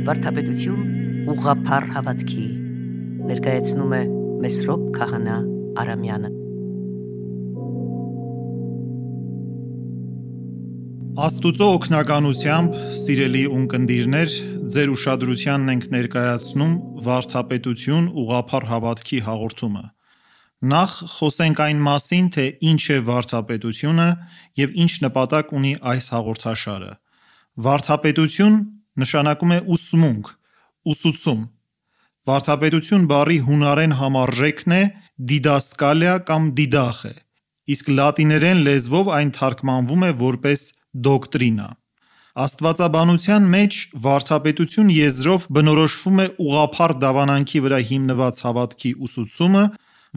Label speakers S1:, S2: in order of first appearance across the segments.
S1: Վարդապետություն ուղղափառ հավատքի ներկայացնում է Մեսրոպ Քահանա Արամյանը։
S2: Աստուծո օգնականությամբ, սիրելի ունկնդիրներ, ձեր ուշադրությանն ենք ներկայացնում Վարդապետություն ուղղափառ հավատքի հաղորդումը։ Նախ խոսենք այն մասին, թե ինչ է վարդապետությունը և ինչ նպատակ ունի այս հաղորդաշարը։ Վարդապետություն նշանակում է ուսմունք, ուսուցում։ Վարդապետություն բառի հունարեն համարժեքն է դիդասկալիա կամ դիդախ է, իսկ լատիներեն լեզվով այն թարգմանվում է որպես դոկտրինա։ Աստվածաբանության մեջ վարդապետություն եզրով բնորոշվում է ուղղափառ դավանանքի վրա հիմնված հավատքի ուսուցումը,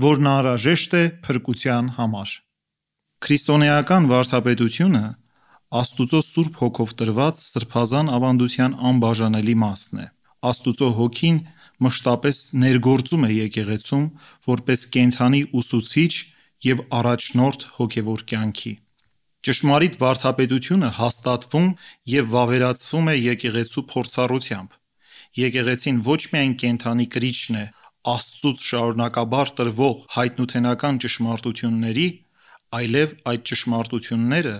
S2: որն անհրաժեշտ է փրկության համար։ Քրիստոնեական վարդապետությունը Աստուծո Սուրբ Հոգով տրված սրբազան ավանդության անբաժանելի մասն է։ Աստուծո Հոգին մշտապես ներգործում է եկեղեցում որպես կենդանի ուսուցիչ և առաջնորդ հոգևոր կյանքի։ Ճշմարիտ վարդապետությունը հաստատվում և վավերացվում է եկեղեցու փորձառությամբ։ Եկեղեցին ոչ միայն կենդանի կրիչն է Աստծուց շարունակաբար տրվող հայտնութենական ճշմարտությունների, այլև այդ ճշմարտությունները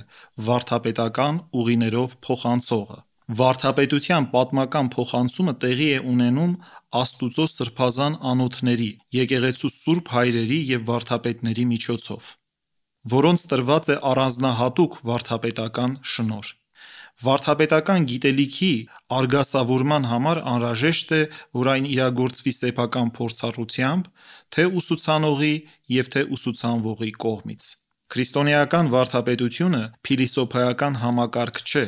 S2: վարդապետական ուղիներով փոխանցողը։ Վարդապետության պատմական փոխանցումը տեղի է ունենում Աստուծո սրբազան անոթների, եկեղեցու սուրբ հայրերի և վարդապետների միջոցով, որոնց տրված է առանձնահատուկ վարդապետական շնորհ։ Վարդապետական գիտելիքի արգասավորման համար անհրաժեշտ է, որ այն իրագործվի սեփական փորձառությամբ, թե ուսուցանողի և թե ուսուցանվողի կողմից։ Քրիստոնեական վարդապետությունը փիլիսոփայական համակարգ չէ,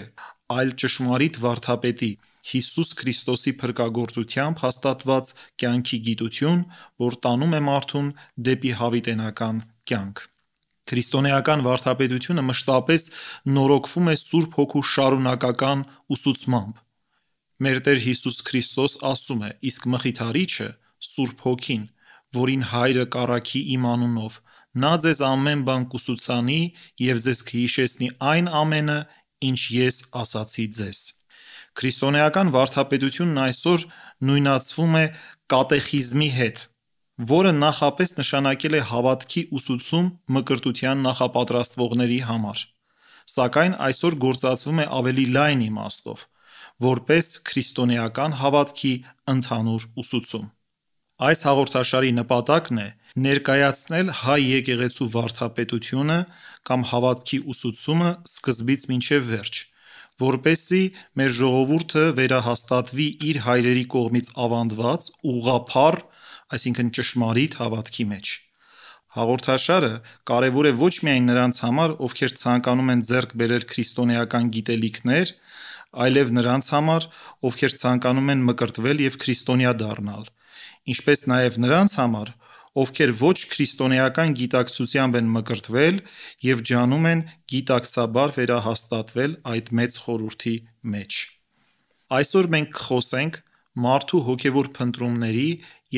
S2: այլ ճշմարիտ վարդապետի՝ Հիսուս Քրիստոսի փրկagործությամբ հաստատված կյանքի գիտություն, որ տանում է մարդուն դեպի հավիտենական կյանք։ Քրիստոնեական վարդապետությունը մշտապես նորոգվում է Սուրբ Հոգու շարունակական ուսուցմամբ։ Մեր Տեր Հիսուս Քրիստոս ասում է. «Իսկ Մխիթարիչը, Սուրբ Հոգին, որին Հայրը կառաքի իմ անունով, նա ձեզ ամեն բան կուսուցանի և ձեզ կհիշեցնի այն ամենը, ինչ ես ասացի ձեզ»։ Քրիստոնեական վարդապետությունն այսօր նույնացվում է կատեխիզմի հետ, որը նախապես նշանակել է հավատքի ուսուցում մկրտության նախապատրաստվողների համար, սակայն այսօր գործածվում է ավելի լայն իմաստով, որպես քրիստոնեական հավատքի ընդհանուր ուսուցում։ Այս հաղորդաշարի նպատակն է ներկայացնել հայ եկեղեցու վարդապետությունը կամ հավատքի ուսուցումը սկզբից մինչև վերջ, որպեսզի մեր ժողովուրդը վերահաստատվի իր հայրերի կողմից ավանդված ուղղափառ, այսինքն ճշմարիտ հավատքի մեջ։ Հաղորդաշարը կարևոր է ոչ միայն նրանց համար, ովքեր ցանկանում են ձեռք բերել քրիստոնեական գիտելիքներ, այլև նրանց համար, ովքեր ցանկանում են մկրտվել և քրիստոնյա դառնալ, ինչպես նաև նրանց համար, ովքեր ոչ քրիստոնեական գիտակցությամբ են մկրտվել և ջանում են գիտակցաբար վերահաստատվել այդ մեծ խորհրդի մեջ։ Այսօր մենք կխոսենք մարդու հոգևոր փնտրումների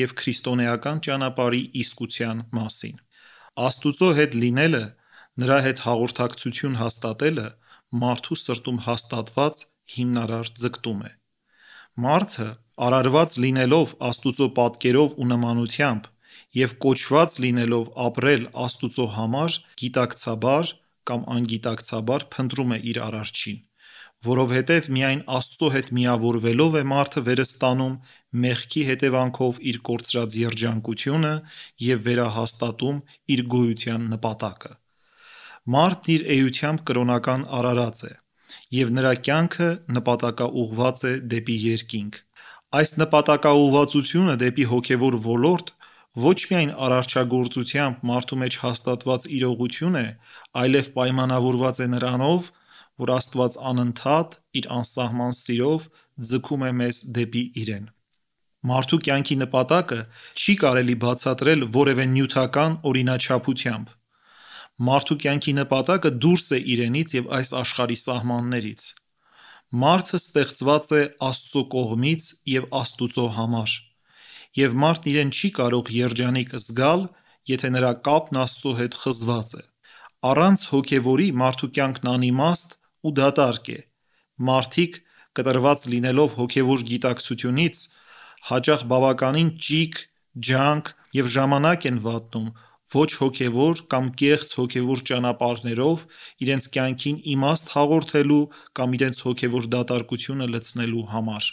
S2: և քրիստոնեական ճանապարհի իսկության մասին։ Աստուծո հետ լինելը, նրա հետ հաղորդակցություն հաստատելը մարդու սրտում հաստատված հիմնարար ձգտում է։ Մարդը արարված լինելով Աստուծո պատկերով ու նմանությամբ և կոչված լինելով ապրել Աստուծո համար, գիտակցաբար կամ անգիտակցաբար փնտրում է իր Արարչին, որովհետև միայն Աստծո հետ միավորվելով է մարդը վերստանում մեղքի հետևանքով իր կորցրած երջանկությունը և վերահաստատում իր գոյության նպատակը։ Մարդն իր էությամբ կրոնական արարած է, և նրա կյանքը նպատակաուղղված է դեպի երկինք։ Այս նպատակաուղղվածությունը դեպի հոգևոր ոլորտ ոչ միայն արարչագործությամբ մարդու մեջ հաստատված իրողություն է, այլև պայմանավորված է նրանով, որ Աստված անընդհատ իր անսահման սիրով ձգում է մեզ դեպի Իրեն։ Մարդու կյանքի նպատակը չի կարելի բացատրել որևէ նյութական օրինաչափությամբ։ Մարդու կյանքի նպատակը դուրս է իրենից և այս աշխարհի սահմաններից։ Մարդը ստեղծված է Աստծո կողմից և Աստուծո համար, և մարդն իրեն չի կարող երջանիկ զգալ, եթե նրա կապն Աստծո հետ խզված է։ Առանց հոգևորի մարդու կյանքն անիմաստ ու դատարկ է։ Մարդիկ կտրված լինելով հոգևոր գիտակցությունից, հաճախ բավականին ճիգ, ջանք և ժամանակ են վատնում ոչ հոգևոր կամ կեղծ հոգևոր ճանապարհներով իրենց կյանքին իմաստ հաղորդելու կամ իրենց հոգևոր դատարկությունը լցնելու համար։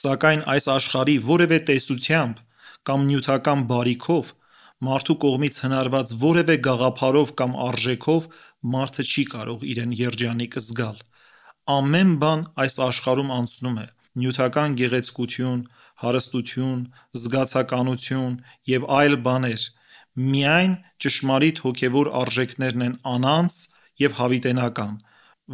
S2: Սակայն այս աշխարհի որևէ տեսությամբ կամ նյութական բարիքով մարդու կողմից հնարված որևէ գաղափարով կամ արժեքով մարդը չի կարող իրեն երջանիկ զգալ։ Ամեն բան այս աշխարհում անցնում է, նյութական գեղեցկություն, հարստություն, զգացականություն և այլ բաներ, միայն ճշմարիտ հոգևոր արժեքներն են անանց և հավիտենական,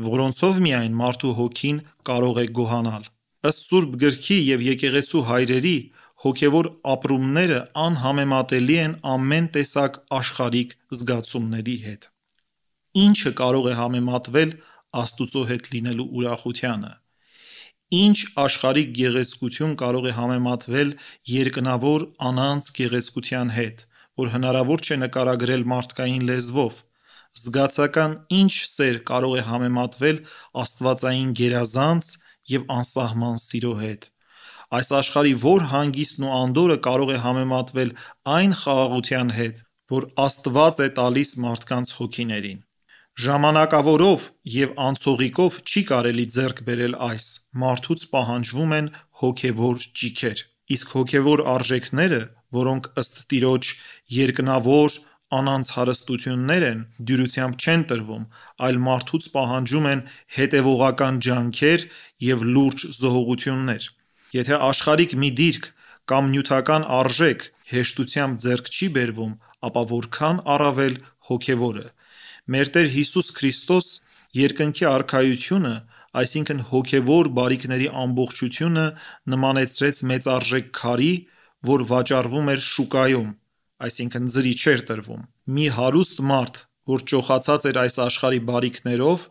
S2: որոնցով միայն մարդու հոգին կարող է գոհանալ։ Ըստ Սուրբ Գրքի և եկեղեցու հայրերի, հոգևոր ապրումները անհամեմատելի են ամեն տեսակ աշխարհիկ զգացումների հետ։ Ի՞նչը կարող է համեմատվել Աստծո հետ լինելու ուրախությանը։ Ինչ աշխարհիկ գեղեցկություն կարող է համեմատվել երկնավոր անանց գեղեցկության հետ, որ հնարավոր չէ նկարագրել մարդկային լեզվով։ Զգացական ինչ սեր կարող է համեմատվել աստվածային գերազանց և անսահման սիրո հետ։ Այս աշխարհի ո՞ր հանգիստն ու անդորրը կարող է համեմատվել այն խաղաղության հետ, որ Աստված է տալիս մարդկանց հոգիներին։ Ժամանակավորով և անցողիկով չի կարելի ձեռք բերել այս, մարդուց պահանջվում են հոգևոր ճիգեր։ Իսկ հոգևոր արժեքները, որոնք ըստ Տիրոջ երկնավոր անանց հարստություններ են, դյուրությամբ չեն տրվում, այլ մարդուց պահանջում են հետևողական ջանքեր և լուրջ զոհողություններ։ Եթե աշխարհիկ մի դիրք կամ նյութական արժեք հեշտությամբ ձեռք չի բերվում, ապա որքան առավել հոգևորը։ Մեր Տեր Հիսուս Քրիստոս երկնքի արքայությունը, այսինքն հոգևոր բարիքների ամբողջությունը նմանեցրեց մեծարժեք քարի, որ վաճառվում էր շուկայում, այսինքն ձրի չէր տրվում։ Մի հարուստ մարդ, որ ճոխացած էր այս աշխարհի բարիքներով,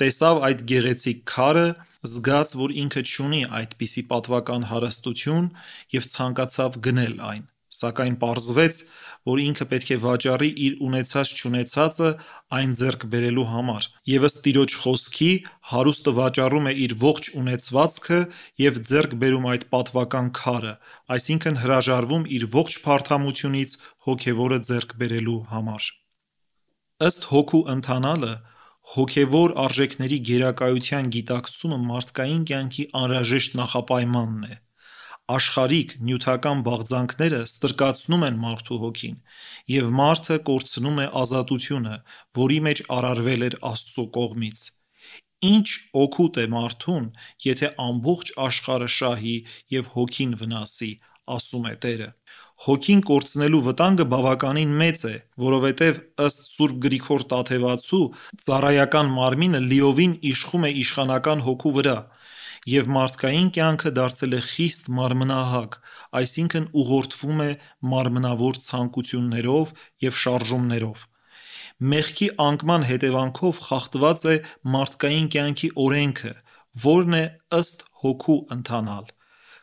S2: տեսավ այդ գեղեցիկ քարը, զգաց, որ ինքը չունի այդպիսի պատվական հարստություն և ցանկացավ գնել այն։ Սակայն պարզվեց, որ ինքը պետք է վաճառի իր ունեցած-չունեցածը այն ձեռք բերելու համար, և ըստ Տիրոջ խոսքի, հարուստը վաճառում է իր ողջ ունեցվածքը և ձեռք բերում այդ պատվական քարը, այսինքն հրաժարվում իր ողջ փարթամությունից հոգևորը ձեռք բերելու համար։ Ըստ հոգու ընթանալը, հոգևոր արժեքների գերակայության գիտակցումը մարդկային կյանքի անհրաժեշտ նախապայմանն է։ Աշխարհիկ նյութական բաղձանքները ստրկացնում են մարդու հոգին, և մարդը կորցնում է ազատությունը, որի մեջ արարվել էր Աստծո կողմից։ Ինչ օգուտ է մարդուն, եթե ամբողջ աշխարհը շահի և հոգին վնասի, ասում է Տերը։ Հոգին կորցնելու վտանգը բավականին մեծ է, որովհետև ըստ Սուրբ Գրիգոր Տաթևացու, ծառայական մարմինը լիովին իշխում է իշխանական հոգու վրա, և մարդկային կյանքը դարձել է խիստ մարմնահակ, այսինքն ուղղորդվում է մարմնավոր ցանկություններով և շարժումներով։ Մեղքի անկման հետևանքով խախտված է մարդկային կյանքի օրենքը, որն է ըստ հոգու ընթանալ։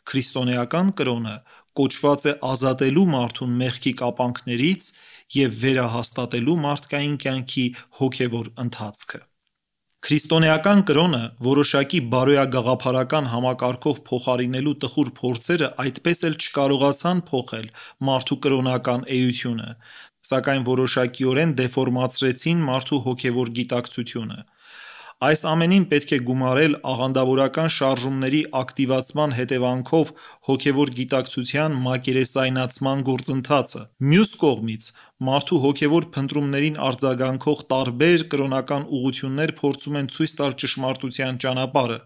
S2: Քրիստոնեական կրոնը կոչված է ազատելու մարդուն մեղքի կապանքներից և վերահաստատելու մարդկային կյանքի հոգևոր ընթացքը։ Քրիստոնեական կրոնը որոշակի բարոյագաղափարական համակարգով փոխարինելու տխուր փորձերը այդպես էլ չկարողացան փոխել մարդու կրոնական էությունը, սակայն որոշակիորեն դեֆորմացրեցին մարդու հոգևոր գիտակցությունը։ Այս ամենին պետք է գումարել աղանդավորական շարժումների ակտիվացման հետևանքով հոգևոր գիտակցության մակերեսայնացման գործընթացը։ Մյուս կողմից, մարդու հոգևոր փնտրումներին արձագանքող տարբեր կրոնական ուղղություններ փորձում են ցույց տալ ճշմարտության ճանապարհը,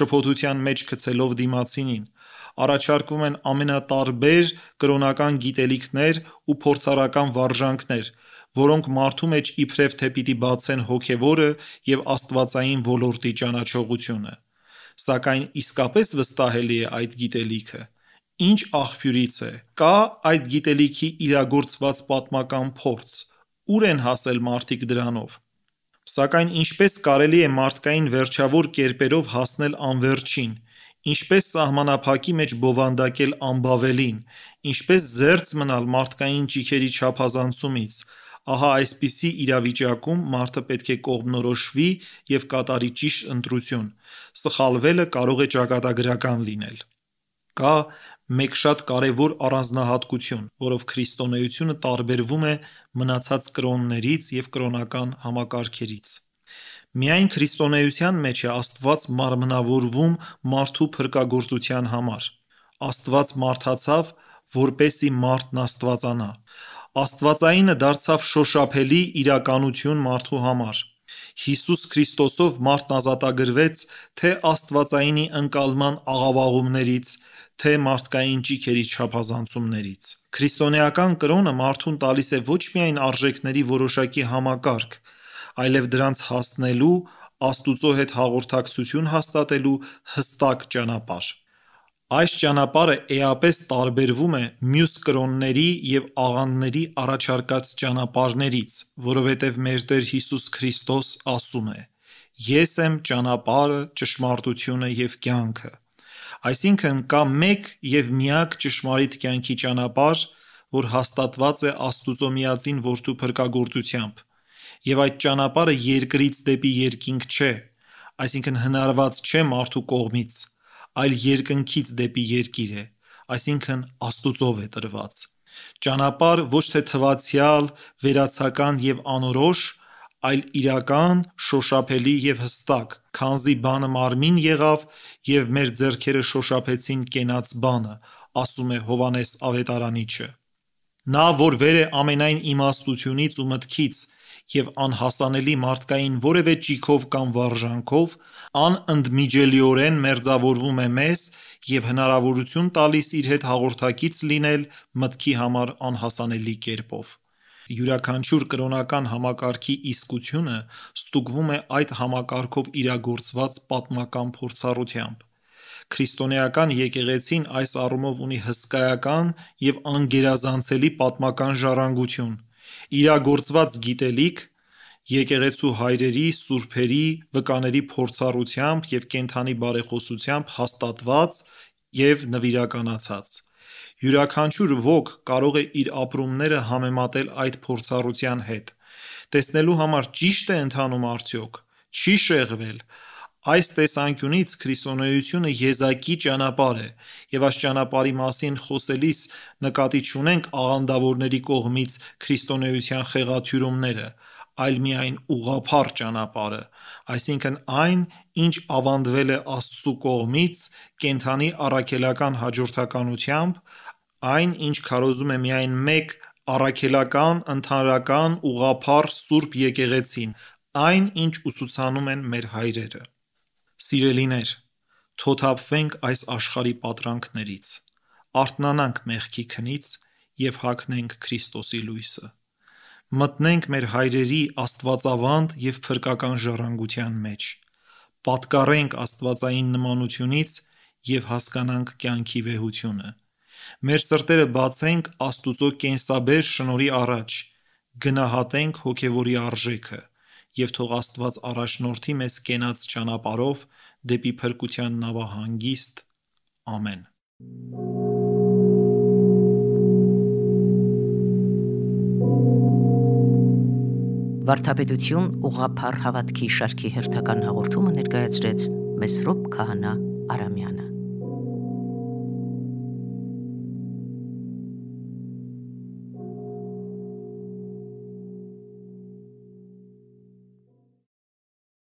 S2: շփոթության մեջ գցելով դիմացինին։ Առաջարկվում են ամենատարբեր կրոնական գիտելիքներ ու փորձառական վարժանքներ, որոնք մարդու մեջ իբրև թե պիտի բացեն հոգևորը և աստվածային ոլորտի ճանաչողությունը։ Սակայն իսկապես վստահելի է այդ գիտելիքը։ Ինչ աղբյուրից է։ Կա այդ գիտելիքի իրագործված պատմական փորձ։ Ուր են հասել մարդիկ դրանով։ Սակայն ինչպես կարելի է մարդկային վերջավոր կերպերով հասնել անվերջին, ինչպես սահմանափակի մեջ բովանդակել անբավելին, ինչպես զերծ մնալ մարդկային ճիգերի չափազանցումից, Ահա այսպիսի իրավիճակում մարդը պետք է կողմնորոշվի և կատարի ճիշտ ընտրություն։ Սխալվելը կարող է ճակատագրական լինել։ Կա մեկ շատ կարևոր առանձնահատկություն, որով քրիստոնեությունը տարբերվում է մնացած կրոններից և կրոնական համակարգերից։ Միայն քրիստոնեության մեջ է Աստված մարմնավորվում մարդու փրկagorցության համար։ Աստված մարդացավ, որպեսզի մարդն աստվածանա։ Աստվածայինը դարձավ շոշափելի իրականություն մարդու համար։ Հիսուս Քրիստոսով մարդն ազատագրվեց թե աստվածայինի ընկալման աղավաղումներից, թե մարդկային ճիգերի չափազանցումներից։ Քրիստոնեական կրոնը մարդուն տալիս է ոչ միայն արժեքների որոշակի համակարգ, այլև դրանց հասնելու, Աստծո հետ հաղորդակցություն հաստատելու հստակ ճանապարհ։ Այս ճանապարհը էապես տարբերվում է մյուս կրոնների և աղանդների առաջարկած ճանապարհներից, որովհետև մեր Տեր Հիսուս Քրիստոս ասում է. «Ես եմ ճանապարհը, ճշմարտությունը և կյանքը»։ Այսինքն կա մեկ և միակ ճշմարիտ կյանքի ճանապարհ, որ հաստատված է Աստծո միածին Որդու փրկagorցությամբ, և այդ ճանապարհը երկրից դեպի երկինք չէ, այսինքն հնարված չէ մարդու կողմից, այլ երկնքից դեպի երկիր է, այսինքն Աստծով է տրված։ Ճանապարհ ոչ թե թվացյալ, վերացական և անորոշ, այլ իրական, շոշափելի և հստակ, քանզի բանը մարմին եղավ և մեր ձեռքերը շոշափեցին կենաց բանը, ասում է Հովհաննես Ավետարանիչը։ Նա, որ վեր է ամենայն իմաստությունից ու մտքից և անհասանելի մարդկային որևէ ճիգով կամ վարժանքով, անընդմիջելիորեն մերձավորվում է մեզ և հնարավորություն տալիս իր հետ հաղորդակից լինել մտքի համար անհասանելի կերպով։ Յուրաքանչյուր կրոնական համակարգի իսկությունը ստուգվում է այդ համակարգով իրագործված պատմական փորձառությամբ։ Քրիստոնեական եկեղեցին այս առումով ունի հսկայական և անգերազանցելի պատմական ժառանգություն, իրագործված գիտելիք, եկեղեցու հայրերի, սուրբերի, վկաների փորձառությամբ և կենդանի բարեխոսությամբ հաստատված և նվիրականացած։ Յուրաքանչյուր ոք կարող է իր ապրումները համեմատել այդ փորձառության հետ, տեսնելու համար ճի՞շտ է ընթանում արդյոք, չի՞ շեղվել։ Այս տեսանկյունից քրիստոնեությունը եզակի ճանապարհ է, և այս ճանապարհի մասին խոսելիս նկատի չունենք աղանդավորների կողմից քրիստոնեության խեղաթյուրումները, այլ միայն ուղղափառ ճանապարհը, այսինքն այն, ինչ ավանդվել է Աստծու կողմից կենդանի առաքելական հաջորդականությամբ, այն, ինչ քարոզում է միայն մեկ առաքելական, ընդհանրական, ուղղափառ Սուրբ Եկեղեցին, այն, ինչ ուսուցանում են մեր հայրերը։ Սիրելիներ, թոթափվենք այս աշխարհի պատրանքներից, արթնանանք մեղքի քնից և հագնենք Քրիստոսի լույսը։ Մտնենք մեր հայրերի աստվածավանդ և փրկական ժառանգության մեջ, պատկառենք աստվածային նմանությունից և հասկանանք կյանքի վեհությունը։ Մեր սրտերը բացենք Աստծո կենսաբեր շնորհի առաջ, գնահատենք հոգևորի արժեքը, և թող Աստված առաջնորդի մեզ կենաց ճանապարհով դեպի փրկության նավահանգիստ։ Ամեն։
S1: Վարդապետություն ուղղափառ հավատքի շարքի հերթական հաղորդումը ներկայացրեց Մեսրոպ Քահանա